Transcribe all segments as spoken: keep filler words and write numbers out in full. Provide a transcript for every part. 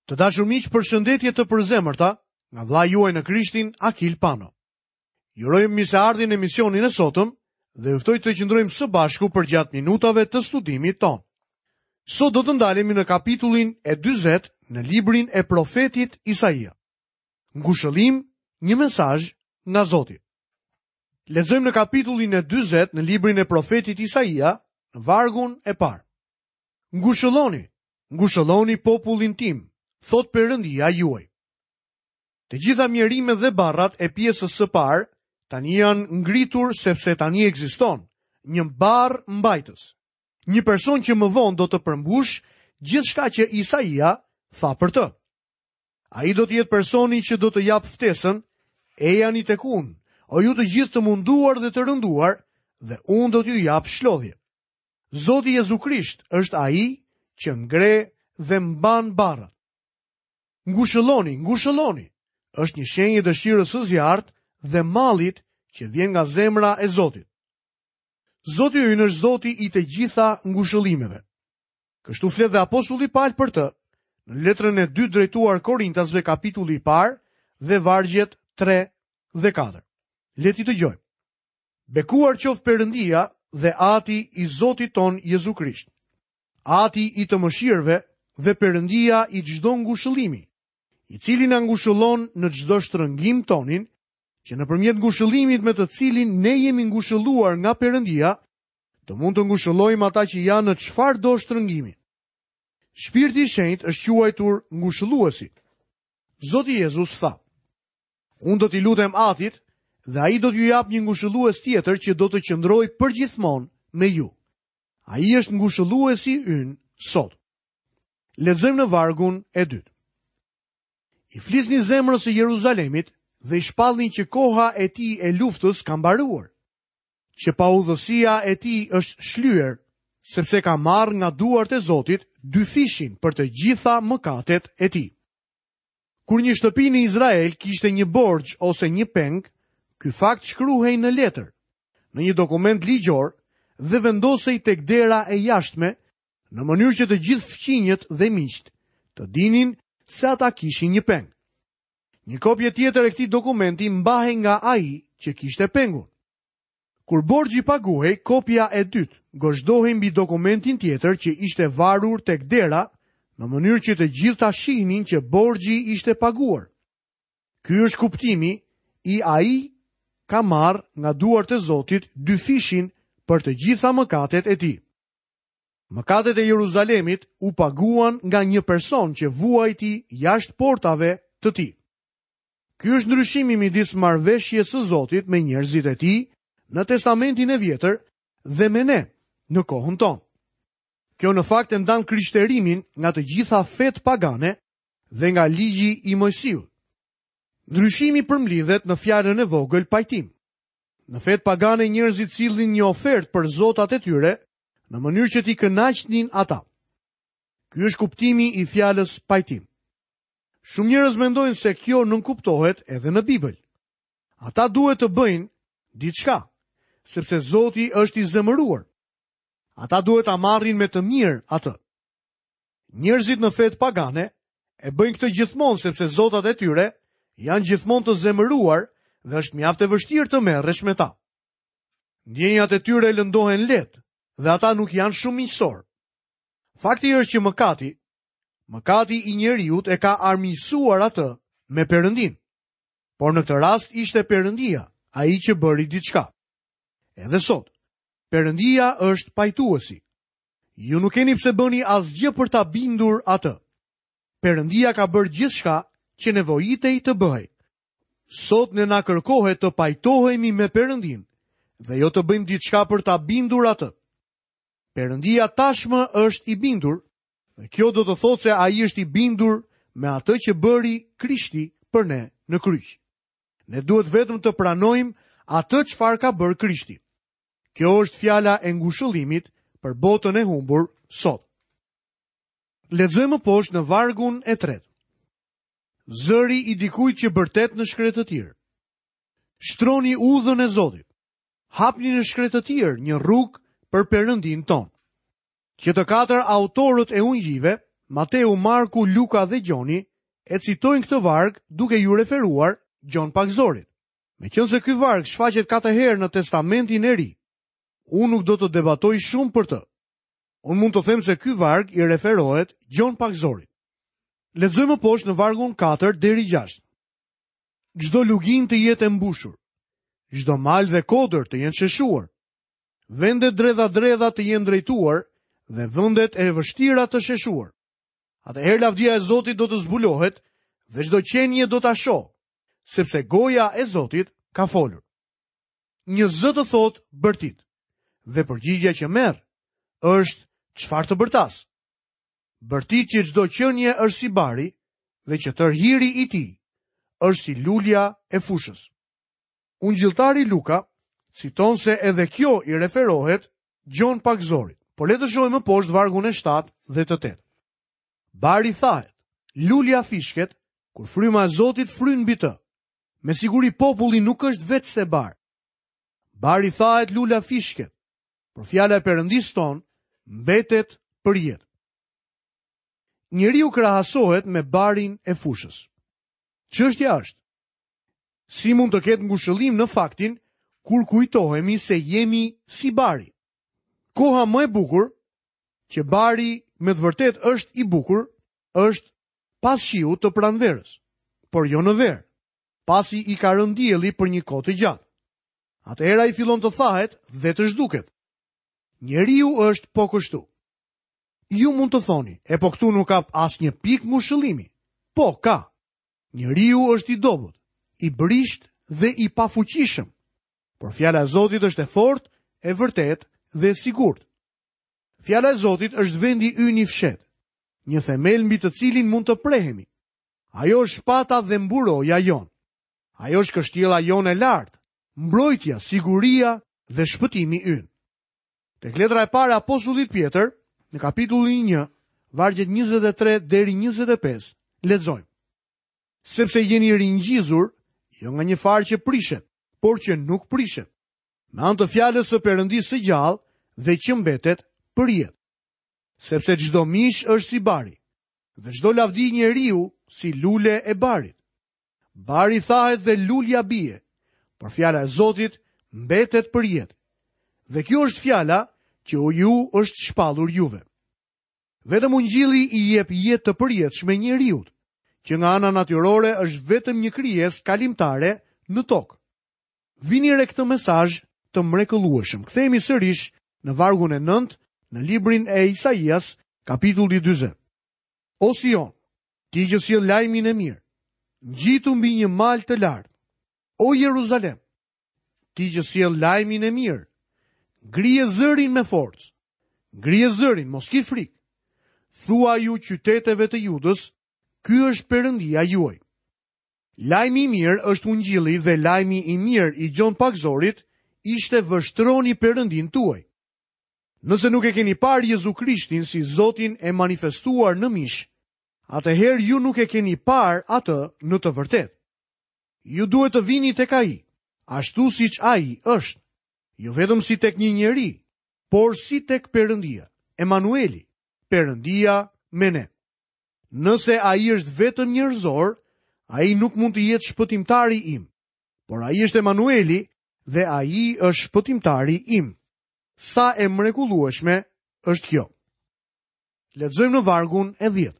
Të dashur miq, përshëndetje të përzemërta nga vëllai juaj në Krishtin, Akil Pano. Ju urojmë mirëseardhjen në emisionin e sotëm dhe ju ftoj të qëndrojmë së bashku përgjatë minutave të studimit tonë. Sot do të ndalemi në kapitullin e dyzet në librin e profetit Isaia. Ngushëllim, një mesazh nga Zoti. Lexojmë në kapitullin e dyzet në librin e profetit Isaia, në vargun e parë. Ngushëlloni, ngushëlloni popullin tim, thot Perëndia juaj. Të gjitha mjerimet dhe barrat e pjesës së parë tani janë ngritur sepse tani ekziston një barr mbajtës. Një person që më vonë do të përmbush gjithçka që Isaia tha për të. Ai do të jetë personi që do të japë ftesën, ejani tek unë, o ju të gjithë të munduar dhe të rënduar, dhe unë do t'ju jap shlodhje. Zoti Jezu Krisht është ai që ngre dhe mban barrat. Ngushëlloni, ngushëlloni, është një shenjë e dëshirës së zjarrt dhe mallit që vjen nga zemra e Zotit. Zoti ynë është Zoti i të gjitha ngushëllimeve. Kështu flet dhe apostulli Paul për të, në letrën e dytë drejtuar Korintasve, kapitulli i parë dhe vargjet tre dhe katër. Le t'i dëgjojmë. Bekuar qoftë Perëndia dhe Ati i Zotit ton Jezu Krisht. Ati i të mëshirëve dhe Perëndia i çdo ngushëllimi, i cili na ngushëllon në çdo shtrëngim tonin, që nëpërmjet ngushëllimit me të cilin ne jemi ngushëlluar nga Perëndia, të mund të ngushëllojmë ata që janë në çfarëdo shtrëngimi. Shpirti i Shenjtë është quajtur ngushëlluesi. Zoti Jezus tha: Unë do t'i lutem Atit dhe ai do t'ju jap një ngushëllues tjetër që do të qëndrojë përgjithmonë me ju. Ai është ngushëlluesi ynë sot. Lexojmë në vargun e dytë. I flisni zemrës së Jeruzalemit dhe i shpallni që koha e tij e luftës ka mbaruar, që paudhësia e tij është shlyer, sepse ka marrë nga duart e Zotit dyfishin për të gjitha mëkatet e tij. Kur një shtëpi në Izrael kishte një borxh ose një peng, ky fakt shkruhej në letër, në një dokument ligjor dhe vendosej tek dera e jashtme, në mënyrë që të gjithë fqinjët dhe miqtë të dinin se ata kishin një peng. Një kopje tjetër e këtij dokumenti mbahej nga ai që kishte pengun. Kur borxhi paguhej, kopja e dytë gozhdohej mbi dokumentin tjetër që ishte varur tek dera, në mënyrë që të gjithë ta shihnin që borxhi ishte paguar. Ky është kuptimi i ai ka marrë nga duart e Zotit dyfishin për të gjitha mëkatet e tij. Mëkatet e Jeruzalemit u paguan nga një person që vuajti jashtë portave të tij. Ky është ndryshimi midis marrëveshjes së Zotit me njerëzit e tij në Testamentin e Vjetër dhe me ne në kohën tonë. Kjo në fakt e ndan krishterimin nga të gjitha fetë pagane dhe nga ligji i Moisiut. Ndryshimi përmblidhet në fjalën e vogël pajtim. Në fetë pagane njerëzit sillnin një ofertë për zotat e tyre në mënyrë që t'i kënaqnin ata. Ky është kuptimi i fjalës pajtim. Shumë njerëz mendojnë se kjo nënkuptohet edhe në Bibël. Ata duhet të bëjnë diçka, sepse Zoti është i zemëruar. Ata duhet ta marrin me të mirë atë. Njerëzit në fetë pagane e bëjnë këtë gjithmonë sepse zotat e tyre janë gjithmonë të zemëruar dhe është mjaft e vështirë të merresh me ta. Ndjenjat e tyre lëndohen lehtë dhe ata nuk janë shumë miqësor. Fakti është që mëkati, mëkati i njeriut e ka armiqësuar atë me Perëndin. Por në këtë rast ishte Perëndia, ai që bëri diçka. Edhe sot, Perëndia është pajtuesi. Ju nuk keni pse bëni asgjë për ta bindur atë. Perëndia ka bërë gjithçka që nevojitej të bëhej. Sot ne na kërkohet të pajtohemi me Perëndin dhe jo të bëjmë diçka për ta bindur atë. Perëndia tashmë është i bindur, dhe kjo do të thotë se ai është i bindur me atë që bëri Krishti për ne në kryq. Ne duhet vetëm të pranojmë atë çfarë ka bërë Krishti. Kjo është fjala e ngushëllimit për botën e humbur sot. Lexojmë më poshtë në vargun e tretë. Zëri i dikujt që bërtet në shkretëtirë. Shtroni udhën e Zotit. Hapni në shkretëtirë një rrugë për Perëndin ton. Që të katër autorët e ungjijve, Mateu, Marku, Luka dhe Gjoni e citojnë këtë varg duke ju referuar Gjon Pagëzorit. Meqenëse ky varg shfaqet katër herë në Testamentin e Ri, unë nuk do të debatoj shumë për të. Unë mund të them se ky varg i referohet Gjon Pagëzorit. Lexojmë poshtë në vargun katër deri gjashtë. Çdo luginë të jetë e mbushur, çdo mal dhe kodër të jenë sheshuar, vendet dredha-dredha të jenë drejtuar dhe vendet e vështira të sheshuar. Atëherë lavdia e Zotit do të zbulohet dhe çdo qenie do ta shohë, sepse goja e Zotit ka folur. Një zë të thotë bërtit, dhe përgjigjja që merr është çfarë të bërtas. Bërtit që çdo qenie është si bari dhe që tërë hiri i tij është si lulja e fushës. Ungjilltari Luka citon se edhe kjo i referohet Gjon Pagëzorit, por le të shohim më poshtë vargun e shtatë dhe të tetë. Bari thahet, lulja fishket, kur fryma e Zotit fryn mbi të. Me siguri populli nuk është vetë se bar. Bari thahet, lula fishket, por fjala e Perëndisë tonë mbetet për jetë. Njeriu krahasohet me barin e fushës. Çështja është, si mund të ketë ngushëllim në faktin kur kujtohemi se jemi si bari? Koha më e bukur, që bari me të vërtetë është i bukur, është pas shiut të pranverës, por jo në verë, pasi i ka rënë dielli për një kohë të gjatë. Atëherë ai fillon të thahet dhe të zhduket. Njeriu është po kështu. Ju mund të thoni, e po këtu nuk ka asnjë pikë ngushëllimi. Po, ka. Njeriu është i dobët, i brisht dhe i pafuqishëm. Por fjala e Zotit është e fortë, e vërtetë dhe e sigurt. Fjala e Zotit është vendi ynë i fshehtë, një themel mbi të cilin mund të prehemi. Ajo është shpata dhe mburoja jonë. Ajo është kështjella jonë e lartë, mbrojtja, siguria dhe shpëtimi ynë. Tek letra e parë e apostullit Pjetër, në kapitullin një, vargjet njëzet e tre deri njëzet e pesë, lexojmë. Sepse jeni ringjizur, jo nga një farë që prishet, por që nuk prishet, me anë të fjalës së Perëndisë së gjallë dhe që mbetet për jetë. Sepse çdo mish është si bari, dhe çdo lavdi njeriu si lule e barit. Bari thahet dhe lulja bie, por fjala e Zotit mbetet për jetë. Dhe kjo është fjala që ju është shpallur juve. Vetëm ungjilli i jep jetë të përjetshme njeriut, që nga ana natyrore është vetëm një krijesë kalimtare në tokë. Vini re këtë mesazh të mrekullueshëm. Kthehemi sërish në vargun e nëntë në librin e Isaias, kapitulli dyzet. O Sion, ti që sjell lajmin e mirë, ngjitu mbi një mal të lartë. O Jeruzalem, ti që sjell lajmin e mirë, ngrije zërin me forcë. Ngrije zërin, mos ki frikë. Thuaju qyteteve të Judës, ky është Perëndia juaj. Lajmi i mirë është ungjilli dhe lajmi i mirë i Gjon Pagëzorit ishte vështroni Perëndin tuaj. Nëse nuk e keni parë Jezu Krishtin si Zotin e manifestuar në mish, atëherë ju nuk e keni parë atë në të vërtetë. Ju duhet të vini tek ai, ashtu siç ai është, jo vetëm si tek një njeri, por si tek Perëndia, Emanueli, Perëndia me ne. Nëse ai është vetëm njerëzor, ai nuk mund të jetë shpëtimtari im, por ai është Emanueli dhe ai është shpëtimtari im. Sa e mrekullueshme është kjo. Lexojmë në vargun e dhjetë.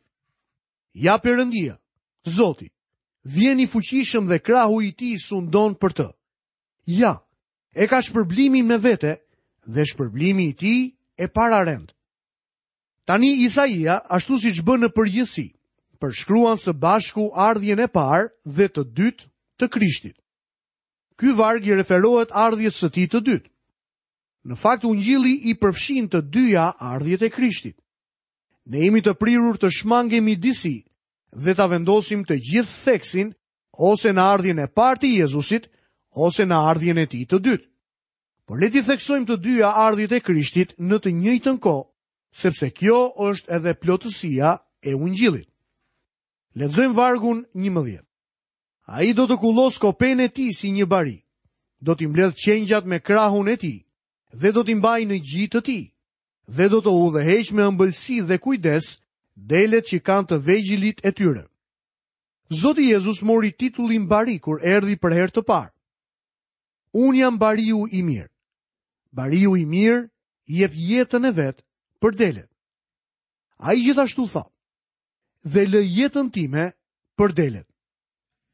Ja Perëndia, Zoti, vjen i fuqishëm dhe krahu i tij sundon për të. Ja, e ka shpërblimin me vete dhe shpërblimi i tij e pararend. Tani Isaia, ashtu siç bën në përgjithësi, përshkruan së bashku ardhjen e parë dhe të dytë të Krishtit. Ky varg i referohet ardhjes së tij të dytë. Në fakt, ungjilli i përfshin të dyja ardhjet e Krishtit. Ne jemi të prirur të shmangemi disi dhe ta vendosim të gjithë theksin ose në ardhjen e parë të Jezusit ose në ardhjen e tij të dytë. Por le t'i theksojmë të dyja ardhjet e Krishtit në të njëjtën kohë, sepse kjo është edhe plotësia e ungjillit. Lexojmë vargun njëmbëdhjetë. Ai do të kullos kopenë e tij si një bari, do t'i mbledh qengjat me krahun e tij dhe do t'i mbajë në gji të tij, dhe do të udhëheq me ëmbëlsi dhe kujdes Delet që kanë të vegjëlit e tyre. Zoti Jezus mori titullin bari kur erdhi për herë të parë. Unë jam bariu i mirë. Bariu i mirë jep jetën e vet për delet. Ai gjithashtu tha: "Dhe lë jetën time për delet."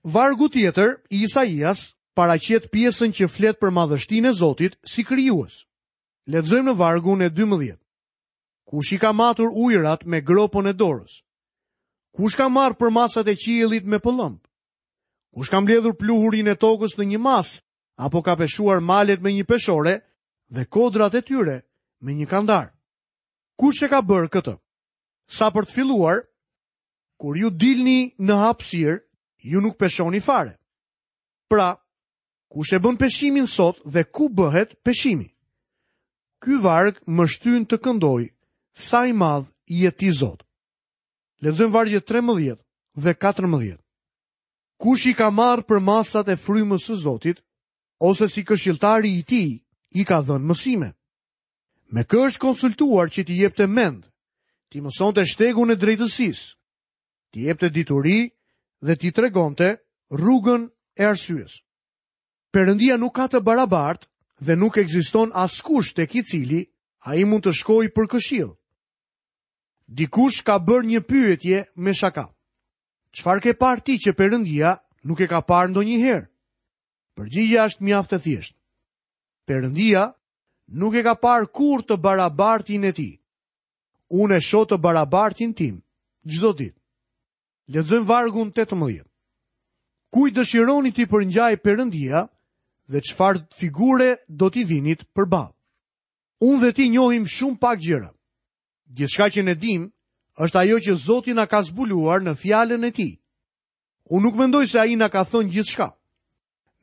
Vargu tjetër i Isaias paraqet pjesën që flet për madhështinë e Zotit si krijues. Lexojmë në vargun e dymbëdhjetë. Kush i ka matur ujërat me gropën e dorës? Kush ka marrë përmasat e qiellit me pëllëmbë? Kush ka mbledhur pluhurin e tokës në një masë, apo ka peshuar malet me një peshore dhe kodrat e tyre me një kandar? Kush e ka bërë këtë? Sa për të filluar, kur ju dilni në hapësirë, ju nuk peshoni fare. Pra, kush e bën peshimin sot dhe ku bëhet peshimi? Ky varg më shtyn të këndoj, sa i madh je ti Zot. Lexojmë vargjet trembëdhjetë dhe katërmbëdhjetë. Kush i ka marrë përmasat e frymës së Zotit, ose si këshilltari i tij i ka dhënë mësime? Me kë është konsultuar që t'i jepte mend, t'i mësonte shtegun e drejtësisë, t'i jepte dituri dhe t'i tregonte rrugën e arsyes? Perëndia nuk ka të barabartë dhe nuk ekziston askush tek i cili ai mund të shkojë për këshill. Dikush ka bërë një pyetje me shaka. Çfarë ke parë ti që Perëndia nuk e ka parë ndonjëherë? Përgjigjja është mjaft e thjeshtë. Perëndia nuk e ka parë kurrë të barabartin e tij. Unë e shoh të barabartin tim çdo ditë. Lexojmë vargun tetëmbëdhjetë. Kujt dëshironi t'i përngjaj Perëndia dhe çfarë figure do t'i vinit përballë? Unë dhe ti njohim shumë pak gjëra. Gjithçka që ne dim është ajo që Zoti na ka zbuluar në fjalën e tij. Unë nuk mendoj se ai na ka thënë gjithçka.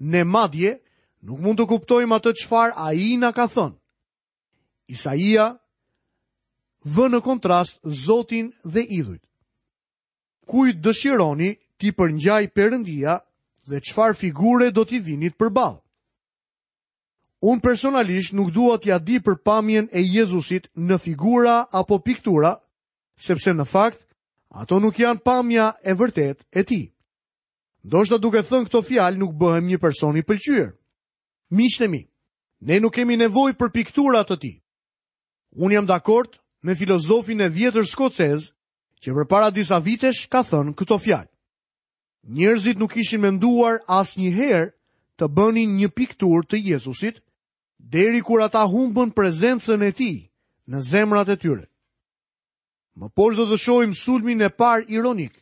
Ne madje nuk mund të kuptojmë atë çfarë ai na ka thënë. Isaia vë në kontrast Zotin dhe idhujt. Kujt dëshironi t'i përngjaj Perëndia dhe çfarë figure do t'i vinit përballë? Unë personalisht nuk dua t'ja di për pamjen e Jezusit në figura apo piktura, sepse në fakt ato nuk janë pamja e vërtetë e tij. Ndoshta duke thënë këto fjalë nuk bëhem një person i pëlqyer. Miqtë e mi, ne nuk kemi nevojë për piktura të tij. Unë jam dakord me filozofin e vjetër skocez që përpara disa vitesh ka thënë këto fjalë. Njerëzit nuk ishin menduar asnjëherë të bënin një pikturë të Jezusit, deri kur ata humbën prezencën e tij në zemrat e tyre. Më poshtë do të shohim sulmin e parë ironik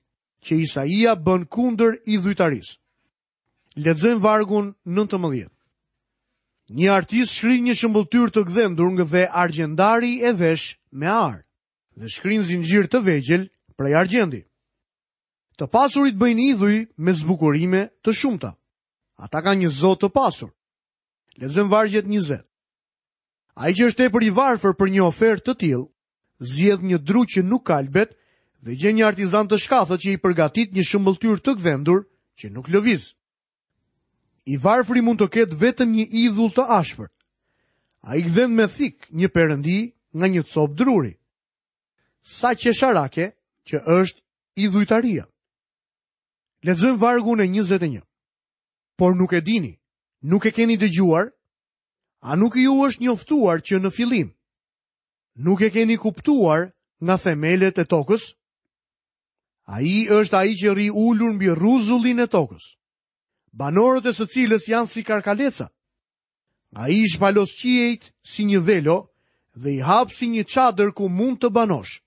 që Isaia bën kundër idhujtarisë. Lexojmë vargun nëntëmbëdhjetë. Një artist shkrin një shëmbëlltyrë të gdhendur dhe argjendari e vesh me ar dhe shkrin zinxhir të vegjël prej argjendi. Të pasurit bëjnë idhuj me zbukurime të shumta. Ata kanë një zot të pasur. Lexojmë vargjet njëzet. Ai që është tepër i varfër për një ofertë të tillë, zgjedh një dru që nuk kalbet dhe gjen një artizan të shkathët që i përgatit një shëmbëlltyrë të gdhendur që nuk lëviz. I varfri mund të ketë vetëm një idhull të ashpër. Ai gdhend me thik një perëndi nga një copë druri. Sa qesharake që është idhujtaria. Lexojmë vargun e njëzet e një. Por nuk e dini, nuk e keni dëgjuar? A nuk ju është njoftuar që në fillim? Nuk e keni kuptuar nga themelet e tokës? Ai është ai që rri ulur mbi rruzullin e tokës, banorët e së cilës janë si karkaleca. Ai i shpalos qiejt si një velo dhe i hap si një çadër ku mund të banosh.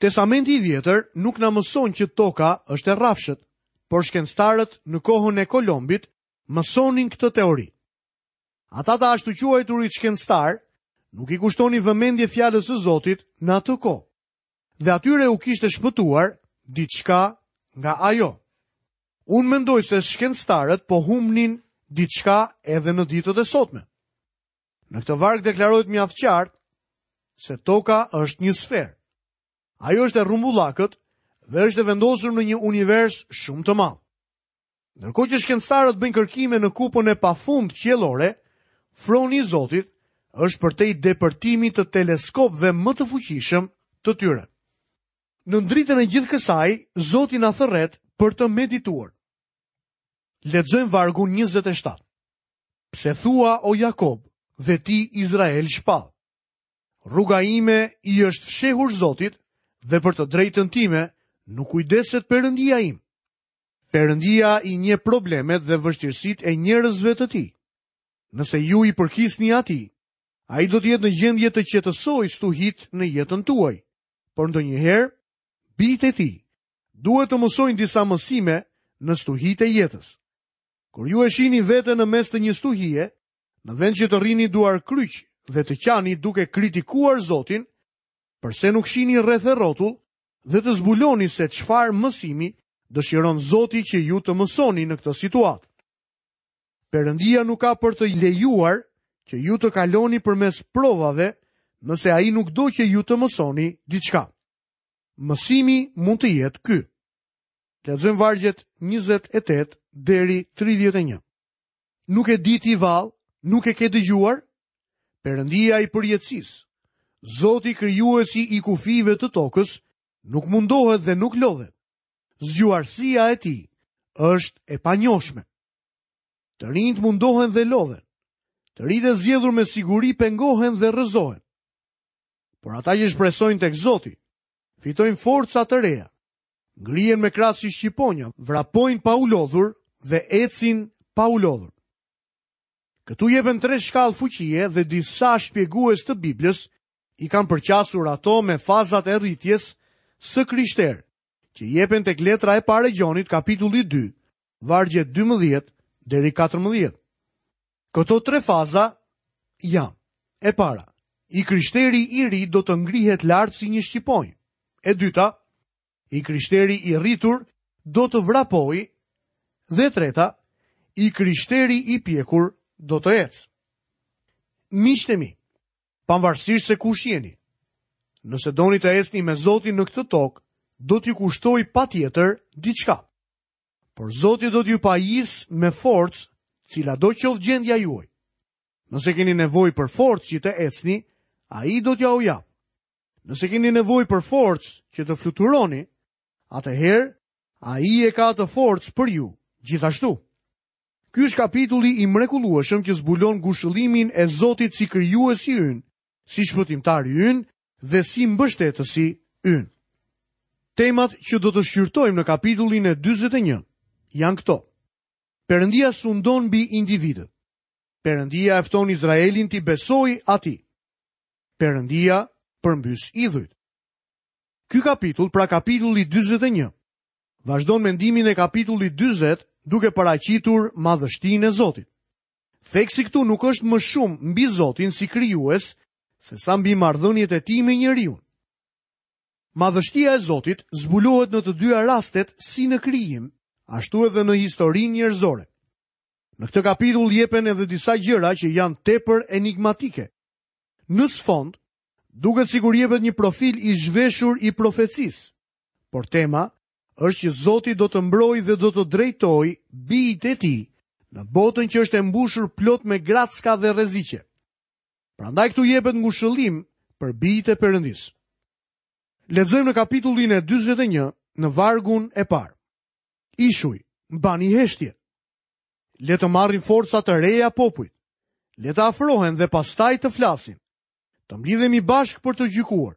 Testamenti i vjetër nuk na mëson që toka është e rrafshët, por shkencëtarët në kohën e Kolombit mësonin këtë teori. Ata të ashtu quajturit shkencëtar nuk i kushtonin vëmendje fjalës së Zotit në atë kohë, dhe atyre u kishte shpëtuar diçka nga ajo. Unë mendoj se shkencëtarët po humbnin diçka edhe në ditët e sotme. Në këtë varg deklarohet mjaft qartë se toka është një sferë. Ajo është e rrumbullakët dhe është e vendosur në një univers shumë të madh. Ndërkohë që shkencëtarët bëjnë kërkime në kupën e pafund qiellore, froni i Zotit është përtej depërtimit të teleskopëve më të fuqishëm të tyre. Në dritën e gjithë kësaj, Zoti na thërret për të medituar. Lexojmë vargun njëzet e shtatë. Pse thua, o Jakob, dhe ti Izrael shpall? Rruga ime i është fshehur Zotit dhe për të drejtën time nuk kujdeset Perëndia im. Perëndia i njeh problemet dhe vështirësitë e njerëzve të tij. Nëse ju i përkisni atij, ai do të jetë në gjendje të qetësojë stuhit në jetën tuaj. Por ndonjëherë, bijtë e tij duhet të mësojnë disa mësime në stuhitë e jetës. Kur ju e shihni veten në mes të një stuhie, në vend që të rrini duar kryq dhe të qani duke kritikuar Zotin, përse nuk shihni rreth e rrotull dhe të zbuloni se çfarë mësimi dëshiron Zoti që ju të mësoni në këtë situatë? Perëndia nuk ka për të lejuar që ju të kaloni përmes provave nëse ai nuk do që ju të mësoni diçka. Mësimi mund të jetë ky. Lexojmë vargjet njëzet e tetë deri tridhjetë e një. Nuk e di ti vallë, nuk e ke dëgjuar? Perëndia i përjetësisë, Zoti krijuesi i kufijve të tokës, nuk mundohet dhe nuk lodhet. Zgjuarsia e tij është e panjohshme. Të rinjt mundohen dhe lodhen. Të rinjtë e zgjedhur me siguri pengohen dhe rrëzohen. Por ata që shpresojnë tek Zoti, fitojnë forca të reja, ngrihen me krah si shqiponja, vrapojnë pa u lodhur dhe ecin pa u lodhur. Këtu jepen tre shkallë fuqie dhe disa shpjegues të Biblës i kanë përqasur ato me fazat e rritjes së krishterë, që jepen tek letra e parë e Gjonit, kapitulli dy, vargjet dymbëdhjetë deri katërmbëdhjetë. Këto tre faza janë: e para, i krishteri i ri do të ngrihet lart si një shqiponjë. E dyta, i krishteri i rritur do të vrapojë. Dhe e treta, i krishteri i pjekur do të ecë. Miqtë e mi, pavarësisht se kush jeni, nëse doni të ecni me Zotin në këtë tokë, do t'ju kushtoj patjetër diçka. Por Zoti do t'ju pajis me forcë, cila do qoftë gjendja juaj. Nëse keni nevojë për forcë që të ecni, ai do t'ja u japë. Nëse keni nevojë për forcë që të fluturoni, atëherë ai e ka atë forcë për ju, gjithashtu. Ky është kapitulli i mrekullueshëm që zbulon ngushëllimin e Zotit si krijuesi ynë, si shpëtimtari ynë dhe si mbështetësi ynë. Temat që do të shqyrtojmë në kapitullin e dyzet e një janë këto. Perëndia sundon mbi individët. Perëndia e fton Izraelin t'i besojë atij. Perëndia përmbys idhujt. Ky kapitull, pra kapitulli dyzet e një, vazhdon mendimin e kapitullit dyzet duke paraqitur madhështinë e Zotit. Theksi këtu nuk është më shumë mbi Zotin si krijues, se sa mbi marrëdhëniet e tij me njeriun. Madhështia e Zotit zbulohet në të dyja rastet si në krijim, ashtu edhe në historinë njerëzore. Në këtë kapitull jepen edhe disa gjëra që janë tepër enigmatike. Në sfond, duket sikur jepet një profil i zhveshur i profecisë, por tema është që Zoti do të mbrojë dhe do të drejtojë bijtë e tij në botën që është e mbushur plot me gracka dhe rreziqe. Prandaj këtu jepet ngushëllim për bijtë e Perëndisë. Lexojmë në kapitullin e dyzet e një, në vargun e parë. Ishuj, mbani heshtje. Le të marrin forca të reja popujt. Le të afrohen dhe pastaj të flasin. Të mblidhemi bashkë për të gjykuar.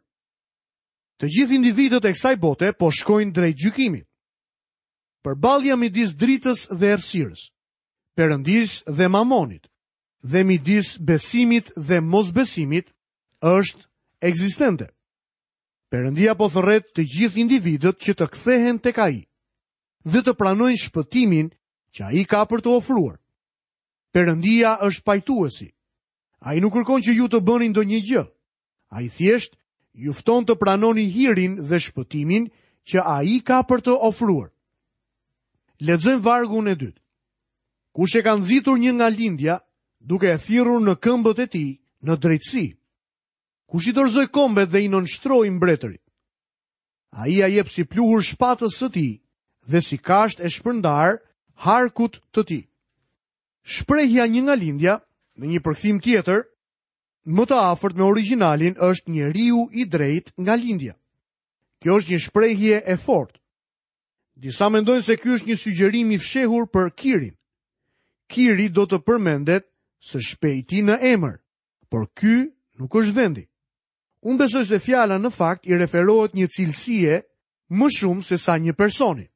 Të gjithë individët e kësaj bote po shkojnë drejt gjykimit. Përballja midis dritës dhe errësirës, Perëndisë dhe Mamonit, dhe midis besimit dhe mosbesimit është ekzistente. Perëndia po thërret të gjithë individët që të kthehen tek ai dhe të pranojnë shpëtimin që ai ka për të ofruar. Perëndia është pajtuesi. Ai nuk kërkon që ju të bëni ndonjë gjë. Ai thjesht ju fton të pranoni hirin dhe shpëtimin që ai ka për të ofruar. Lexojmë vargun e dytë. Kush e ka nxitur një nga lindja, duke e thirrur në këmbët e tij në drejtësi? Kush i dorëzoi kombet dhe i nënshtroi mbretërit? Ai ia jep si pluhur shpatës së tij dhe si kasht e shpërndar harkut të tij. Shprehja një nga lindja, në një përkthim tjetër, më të afërt me origjinalin është njeriu i drejt nga lindja. Kjo është një shprehje e fortë. Disa mendojnë se ky është një sugjerim i fshehur për Kirin. Kiri do të përmendet së shpejti në emër, por ky nuk është vendi. Unë besoj se fjala në fakt i referohet një cilësie më shumë se sa një personi.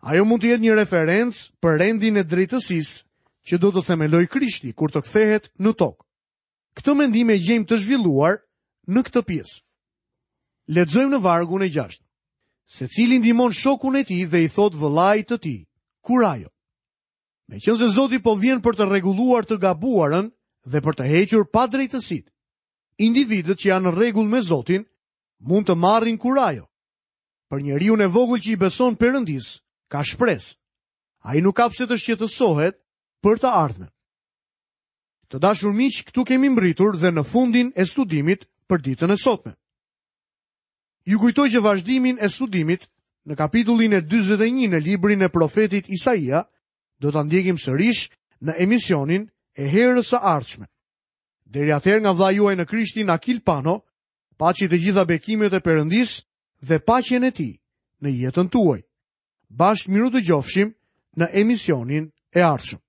Ajo mund të jetë një referencë për rendin e drejtësisë që do të themelojë Krishti kur të kthehet në tokë. Këtë mendim e gjejmë të zhvilluar në këtë pjesë. Lexojmë në vargun e gjashtë. Secili ndihmon shokun e tij dhe i thot vëllait të tij, kurajo. Meqenëse Zoti po vjen për të rregulluar të gabuarën dhe për të hequr padrejtësitë, individët që janë në rregull me Zotin mund të marrin kurajo. Për njeriun e vogël që i beson Perëndisë, ka shpresë. Ai nuk ka pse të shqetësohet për të ardhmen. Të dashur miq, këtu kemi mbritur dhe në fundin e studimit për ditën e sotme. Ju kujtoj që vazhdimin e studimit në kapitullin e dyzet e një në librin e profetit Isaia do ta ndjekim sërish në emisionin e herës së ardhshme. Deri atëherë nga vëllai juaj në Krishtin Akil Pano, paçi të gjitha bekimet e Perëndisë dhe paqen e tij në jetën tuaj. Bashkë miru dëgjofshim në emisionin e ardhshëm.